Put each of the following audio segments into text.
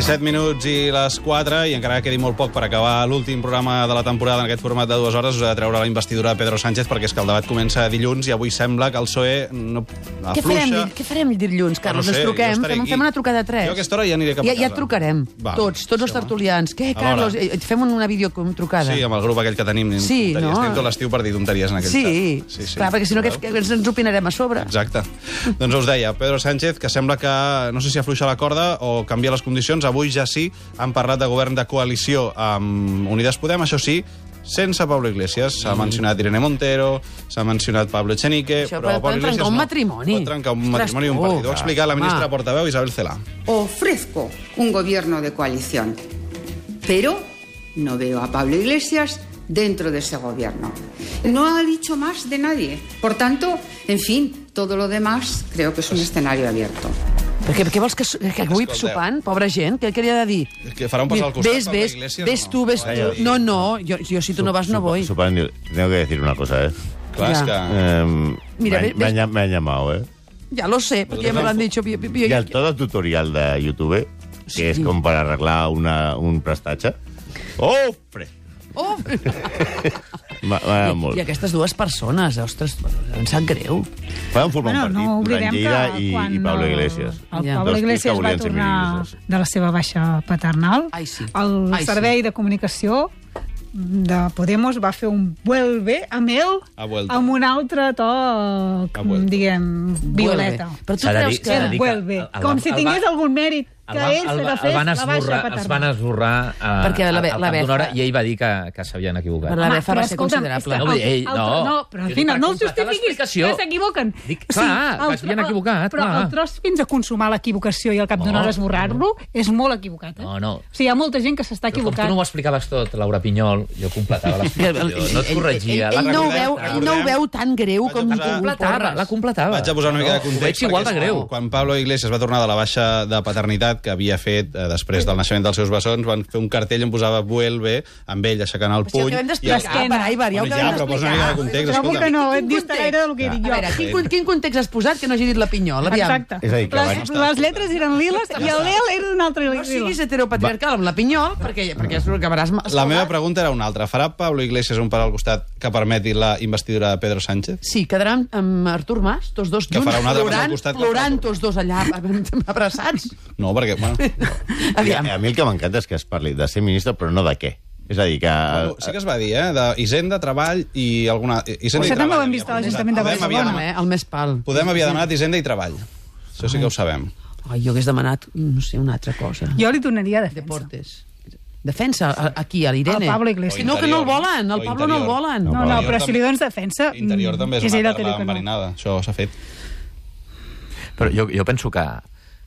17 minuts i les 4, i encara que quedi molt poc per acabar l'últim programa de la temporada en aquest format de 2 hores, us he de treure la investidura de Pedro Sánchez, perquè és que el debat comença dilluns i avui sembla que el PSOE no afluixa. Què farem dilluns, Carlos? No sé, Ens truquem, jo fem una trucada a 3. Jo a aquesta hora ja aniré cap a casa. Ja et trucarem, tots els tertulians. Què, Carlos? Fem una videotrucada. Sí, amb el grup aquell que tenim. Sí, no? Tenim tot l'estiu per dir tonteries en aquell xat. Sí, clar, perquè si no ens opinarem a sobre. Exacte. Doncs us deia, Pedro Sánchez, que sembla que no sé si afluixa la corda o canvia les condicions. Avui ja sí, han parlat de govern de coalició amb Unides Podem, això sí, sense Pablo Iglesias. S'ha mencionat Irene Montero, s'ha mencionat Pablo Echenique... Això pot trencar un matrimoni. Pot trencar un matrimoni i un partit. Ho ha explicat la ministra portaveu Isabel Celaá. Ofrezco un gobierno de coalición, pero no veo a Pablo Iglesias dentro de ese gobierno. No ha dicho más de nadie. Por tanto, en fin, todo lo demás creo que es un escenario abierto. Perquè què vols que avui sopant, pobra gent? Què li ha de dir? Que farà un pas al costat Pablo Iglesias? Ves tu. No, jo si tu no vas no voy. Sopant, tengo que decir una cosa, Clar, és que... Me han llamado, Ya lo sé, porque ya me lo han dicho. Y al todo tutorial de YouTube, que es como para arreglar un prestatge. ¡Ofre! I aquestes dues persones, ostres, em sap greu. Poden formar un partit, Duran Lleida i Pablo Iglesias. El Pablo Iglesias va tornar de la seva baixa paternal. El servei de comunicació de Podemos va fer un vuelve amb ell amb un altre to, diguem, violeta. Però tu creus que... Vuelve, com si tingués algun mèrit que ell s'ha de fer la baixa paternal. Els van esborrar al cap d'una hora i ell va dir que s'havien equivocat. Però la befa va ser considerable. No, però al final no el justifiquis, que s'equivoquen. Clar, que s'havien equivocat. Però el tros fins a consumar l'equivocació i al cap d'una hora esborrar-lo és molt equivocat. No. O sigui, hi ha molta gent que s'està equivocant. Però com tu no ho explicaves tot, Laura Pinyol, jo completava l'explicació, no et corregia. Ell no ho veu tan greu com tu la completava. Vaig a posar una mica de context. Veig igual de greu. Quan Pablo Iglesias va tornar de la baixa de paternitat que havia fet després del naixement dels seus bessons, van fer un cartell on posava vuelve, amb ell aixecant el puny. Això que vam d'explicar, Aibar, ja ho que vam d'explicar. Però posa una mica de context. Trobo que no, et dista gaire del que he dit jo. A veure, quin context has posat que no hagi dit la Pinyol? Exacte. Les lletres eren liles i el Lel era d'un altre lila. No siguis heteropatriarcal amb la Pinyol, perquè acabaràs... La meva pregunta era una altra. Farà Pablo Iglesias un pas al costat que permeti la investidura de Pedro Sánchez? Sí, quedaran amb Artur Mas, tots dos junts, plorant tots dos allà, abraçats. No, perquè... A mi el que m'encanta és que es parli de ser ministre, però no de què. És a dir, que... Sí que es va dir, d'Hisenda, Treball i alguna... Això també ho hem vist a l'Ajuntament de Barcelona. El més pal. Podem havia demanat Hisenda i Treball. Això sí que ho sabem. Jo hagués demanat, no sé, una altra cosa. Jo li donaria defensa. Deportes. Defensa, aquí, a l'Irene. Al Pablo Iglesias. No, que no el volen, el Pablo no el volen. No, però si li dones defensa... Interior també és una terra enverinada, això s'ha fet. Però jo penso que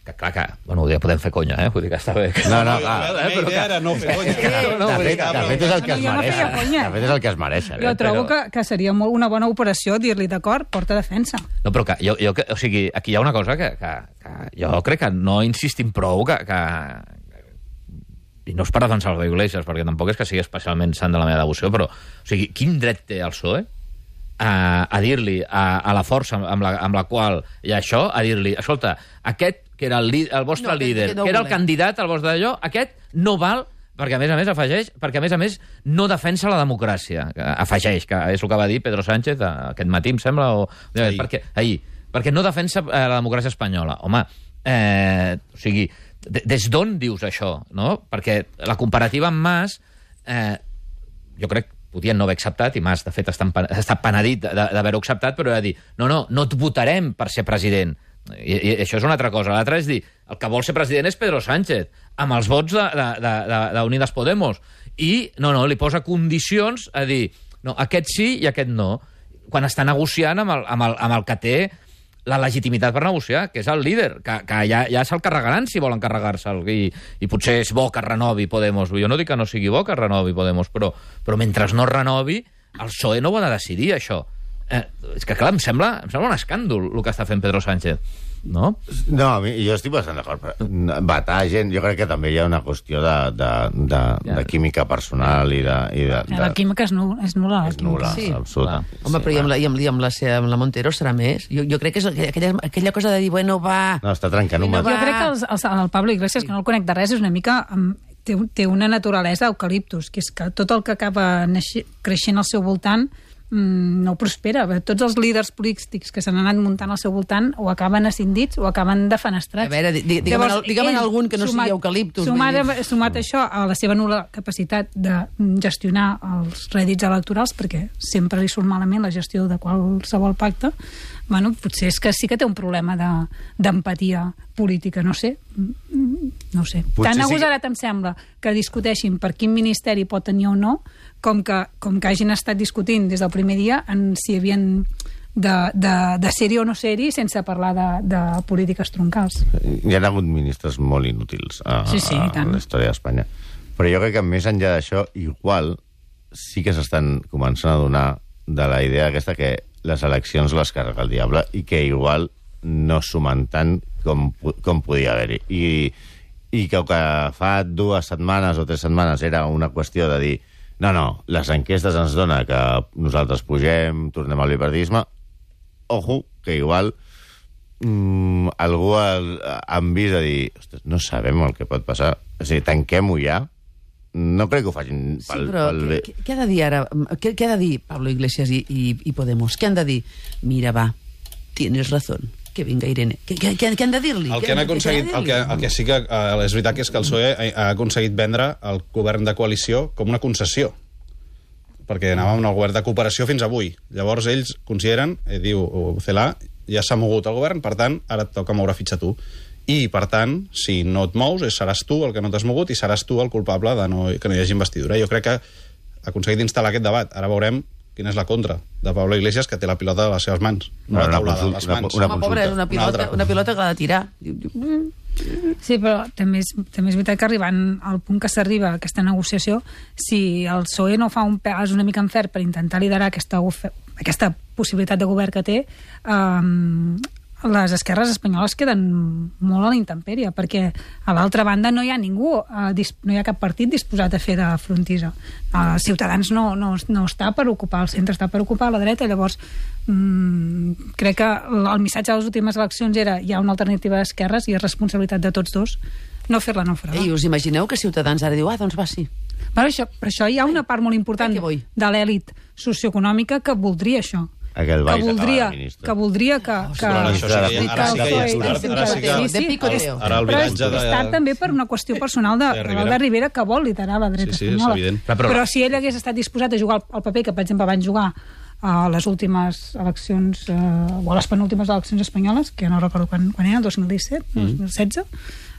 clar, que... Bueno, ja podem fer conya, vull dir que està bé. No, la meva idea era no fer conya. De fet, és el que es mereixen. De fet, és el que es mereixen. Jo trobo que seria una bona operació dir-li, d'acord, porta defensa. No, però que o sigui, aquí hi ha una cosa que jo crec que no insistim prou i no és per defensar el Iglesias, perquè tampoc és que sigui especialment sant de la meva devoció, però, o sigui, quin dret té el PSOE a dir-li a la força amb la qual hi ha això, a dir-li, escolta, aquest que era el vostre líder, que era el candidat al vostre d'allò, aquest no val, perquè a més afegeix, perquè a més no defensa la democràcia. Afegeix, que és el que va dir Pedro Sánchez aquest matí, em sembla, perquè no defensa la democràcia espanyola. Home, o sigui, des d'on dius això, no? Perquè la comparativa amb Mas, jo crec que podien no haver acceptat, i Mas, de fet, està penedit d'haver-ho acceptat, però de dir, no et votarem per ser president. I això és una altra cosa. L'altra és dir, el que vol ser president és Pedro Sánchez, amb els vots d'Unides Podemos. I li posa condicions a dir, no, aquest sí i aquest no, quan està negociant amb el que té la legitimitat per negociar, que és el líder, que ja se'l carregaran si volen carregar-se'l, i potser és bo que renovi Podemos. Jo no dic que no sigui bo que renovi Podemos, però mentre no renovi, el PSOE no ho ha de decidir, això. És que, clar, em sembla un escàndol el que està fent Pedro Sánchez, no? No, jo estic bastant d'acord. Vetar gent, jo crec que també hi ha una qüestió de química personal i de... La química és nul·la. És nul·la, absoluta. Home, però i amb la Montero serà més? Jo crec que és aquella cosa de dir, bueno, va... No, està trencant un Jo crec que el Pablo Iglesias, que no el conec de res, és una mica... té una naturalesa eucaliptus, que és que tot el que acaba creixent al seu voltant no prospera. Tots els líders polítics que s'han anat muntant al seu voltant o acaben ascindits o acaben defenestrats. A veure, digue'm algun que no sigui eucaliptus. Sumat això a la seva nul·la capacitat de gestionar els rèdits electorals, perquè sempre li surt malament la gestió de qualsevol pacte, bueno, potser és que sí que té un problema d'empatia política, no sé. Tan agosarat em sembla que discuteixin per quin ministeri pot tenir o no, com que hagin estat discutint des del primer dia en si havien de ser-hi o no ser-hi sense parlar de polítiques troncals. Hi ha hagut ministres molt inútils a la història d'Espanya. Però jo crec que més enllà d'això, igual sí que s'estan començant a donar de la idea aquesta que les eleccions les carrega el diable i que igual no sumen tant com podia haver-hi. I que fa 2 setmanes o 3 setmanes era una qüestió de dir no, les enquestes ens dona que nosaltres pugem, tornem al bipartidisme. Ojo, que igual algú han vist a dir no sabem el que pot passar. És a dir, tanquem-ho ja. No crec que ho facin pel bé. Què ha de dir ara? Què ha de dir Pablo Iglesias i Podemos? Què han de dir? Mira, va, tienes razón. Que vinga Irene. Què han de dir-li? El que sí que és veritat que és que el PSOE ha aconseguit vendre el govern de coalició com una concessió, perquè anàvem en el govern de cooperació fins avui. Llavors ells consideren, diu Celà, ja s'ha mogut el govern, per tant, ara et toca moure fitxa tu. I, per tant, si no et mous, seràs tu el que no t'has mogut i seràs tu el culpable de que no hi hagi investidura. Jo crec que ha aconseguit instal·lar aquest debat. Ara veurem quina és la contra de Pablo Iglesias, que té la pilota a les seves mans, no la taula de les mans. Home, pobre, és una pilota que l'ha de tirar. Sí, però també és veritat que arribant al punt que s'arriba a aquesta negociació, si el PSOE no fa un pas una mica en ferm per intentar liderar aquesta possibilitat de govern que té, les esquerres espanyoles queden molt a la intempèrie, perquè a l'altra banda no hi ha ningú, no hi ha cap partit disposat a fer de frontissa. Ciutadans no està per ocupar el centre, està per ocupar la dreta. Llavors crec que el missatge de les últimes eleccions era hi ha una alternativa d'esquerres i és responsabilitat de tots dos no fer-la naufragar. I us imagineu que Ciutadans ara diu, doncs va, sí. Per això hi ha una part molt important de l'elit socioeconòmica que voldria això. Que voldria que... Ara el viratge de... Està també per una qüestió personal de Rivera, que vol liderar la dreta espanyola. Però si ell hagués estat disposat a jugar el paper que, per exemple, van jugar a les últimes eleccions, o a les penúltimes eleccions espanyoles, que no recordo quan era, el 2017, 2016,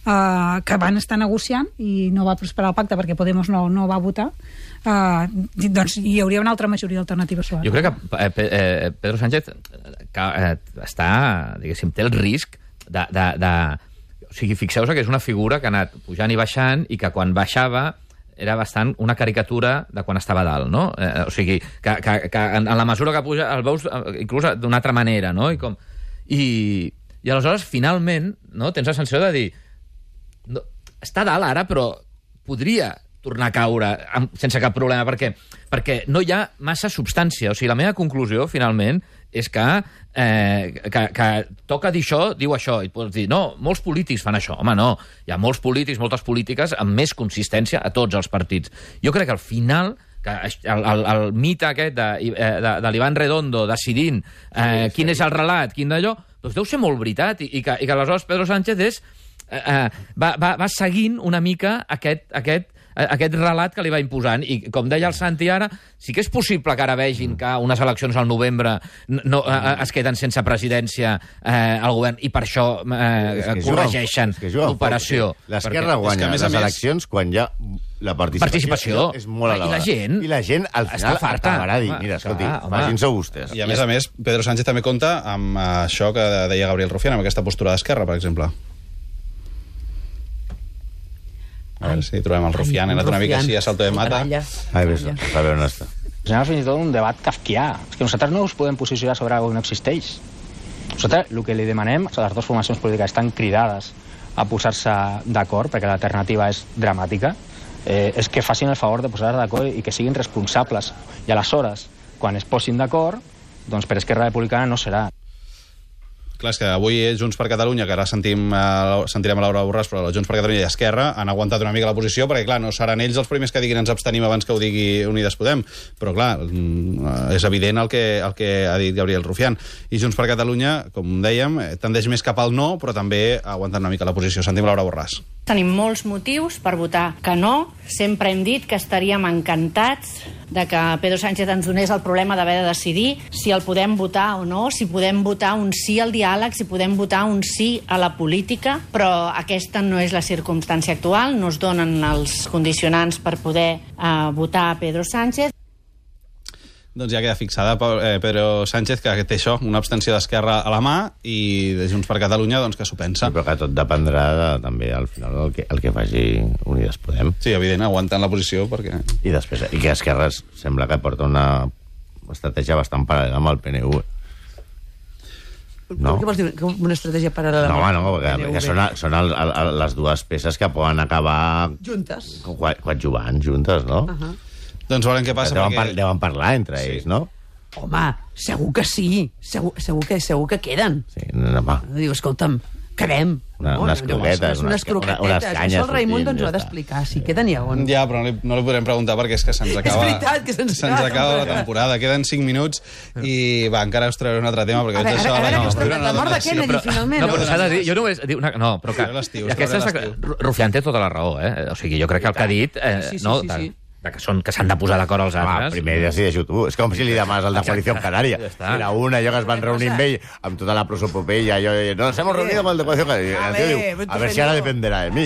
que van estar negociant i no va prosperar el pacte perquè Podemos no va votar, doncs hi hauria una altra majoria alternativa sobre. Jo crec que Pedro Sánchez està, diguéssim, té el risc de... O sigui, fixeu-vos que és una figura que ha anat pujant i baixant i que quan baixava era bastant una caricatura de quan estava dalt, no? O sigui, que en la mesura que puja el veus inclús d'una altra manera, no? I aleshores, finalment, no, tens la sensació de dir està dalt ara, però podria tornar a caure sense cap problema, perquè no hi ha massa substància. O sigui, la meva conclusió, finalment, és que toca dir això, diu això, i pots dir, no, molts polítics fan això. Home, no, hi ha molts polítics, moltes polítiques amb més consistència a tots els partits. Jo crec que al final que el mite aquest de l'Iván Redondo decidint quin és el relat, quin d'allò, doncs deu ser molt veritat, i que aleshores Pedro Sánchez va seguint una mica aquest relat que li va imposant. I, com deia el Santi ara, sí que és possible que ara vegin que unes eleccions al novembre es queden sense presidència al govern i per això corregeixen l'operació. L'esquerra guanya les eleccions quan hi ha la participació és molt elevada. I la gent al final acabarà dir, mira, escolti, facin-se vostès. I a més, Pedro Sánchez també compta amb això que deia Gabriel Rufián, amb aquesta postura d'esquerra, per exemple. A veure si trobem el Rufián, he anat una mica així a salto de mata. A veure on està. És fins i tot un debat kafkià. És que nosaltres no us podem posicionar sobre alguna cosa que no existeix. Nosaltres el que li demanem a les dues formacions polítiques estan cridades a posar-se d'acord, perquè l'alternativa és dramàtica, és que facin el favor de posar-se d'acord i que siguin responsables. I aleshores, quan es posin d'acord, doncs per Esquerra Republicana no serà. Clar, és que avui Junts per Catalunya, que ara sentirem a Laura Borràs, però Junts per Catalunya i Esquerra han aguantat una mica la posició, perquè, clar, no seran ells els primers que diguin ens abstenim abans que ho digui Unides Podem. Però, clar, és evident el que ha dit Gabriel Rufián. I Junts per Catalunya, com dèiem, tendeix més cap al no, però també ha aguantat una mica la posició. Sentim Laura Borràs. Tenim molts motius per votar que no. Sempre hem dit que estaríem encantats de que Pedro Sánchez ens donés el problema d'haver de decidir si el podem votar o no, si podem votar un sí al diàleg, si podem votar un sí a la política, però aquesta no és la circumstància actual, no es donen els condicionants per poder votar a Pedro Sánchez. Doncs ja queda fixada Pedro Sánchez, que té això, una abstenció d'Esquerra a la mà, i de Junts per Catalunya, doncs, que s'ho pensa. Sí, però que tot dependrà també, al final, el que faci Unides Podem. Sí, evident, aguantant la posició, perquè... I després, i que Esquerra sembla que porta una estratègia bastant paral·lela amb el PNV. No? Què vols dir? Una estratègia paral·lela? No, perquè són les dues peces que poden acabar... Juntes. Coadjuvant juntes, no? Doncs veurem què passa. Deuen parlar entre ells, no? Home, segur que sí. Segur que queden. Sí, home. Diu, escolta'm, quedem. Unes croquetes, unes canyes. Això el Raimon ens ho ha d'explicar, si queden ja on. Ja, però no li podrem preguntar perquè és que se'ns acaba... És veritat que se'ns acaba la temporada. Queden 5 minuts i, encara us trauré un altre tema, perquè veig això... La mort de Kennedy, finalment. No, però s'ha de dir... Jo només... No, però que... Rufián té tota la raó, eh? O sigui, jo crec que el que ha dit... Sí. Que s'han de posar d'acord els altres. Primer decideixo tu. És com si li demanes al de Coalició Canària. Era una, allò que es van reunir amb ell, amb tota la prosopopeia, nos hemos reunido con el de Coalició Canària. A ver si ara dependerà de mi.